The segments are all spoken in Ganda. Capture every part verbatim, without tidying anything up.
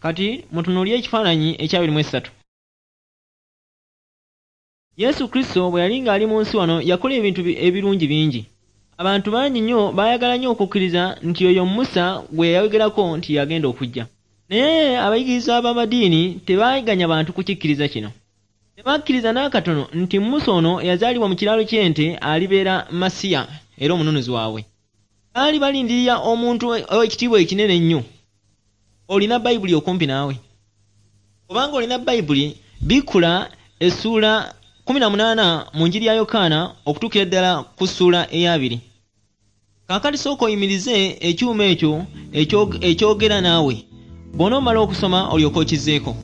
Kati mutunuulire ekifaananyi ekyabiri mu essatu. Yesu Kristo bwe yali ng'ali mu nsi wano yakola ebintu ebirungi bingi. Abantu bangi nnyo baayagala nnyo okukkiriza nti oyo Musa gwe yayogerako nti yagenda okujja. Naye abayigiriza b'amadiini tebaaganya bantu kukikkiriza kino. Tebakkiriza n'akatono nti Musa ono yazaalibwa mu kiraalo ky'ente alibeera Masiya era omununuzi waabwe. Baali balindirira omuntu ow'ekitiibwa ekinene ennyo. Olina Bayibuli okumpi naawe? Obanga olina Bayibuli, bikkula essuula kkumi na munaana mu njiri ya Yokaana okutuukira ddala ku ssuula ey'abiri. Kaakati sooka oyimirize ekyuma ekyo ekyogera naawe. Bw'onoomala okusoma olyoke okizzeeko.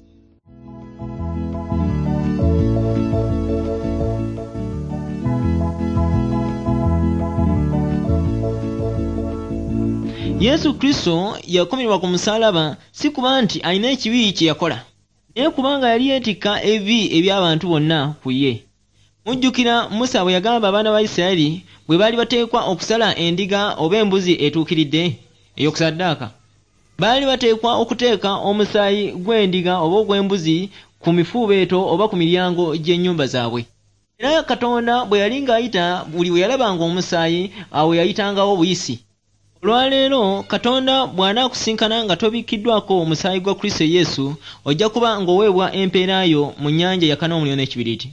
Yesu Kristo yakomererwa ku musaalaba si kuba nti alina ekibi kye yakola, naye kubanga yali yeetikka ebibi eby'abantu bonna ku ye. Mujjukira Musa bwe yagamba abaana ba Isirayiri bwe baali bateekwa okusala endiga oba embuzi etuukiridde ey'okusaddaaka? Baali bateekwa okuteeka omusaayi gw'endiga oba ogw'embuzi ku mifuubeeto oba ku miryango gy'ennyumba zaabwe. Era Katonda bwe yali ng'ayita buli we yalabanga omusaayi, awo yayitangawo buyisi. Olwaleero Katonda bw'anaakusinkana nga tobikkiddwako musaayi gwa Kristo Yesu, ojja kuba ng'oweebwa empeera yo mu nnyanja eyaka n'omuliro n'ekibiriiti.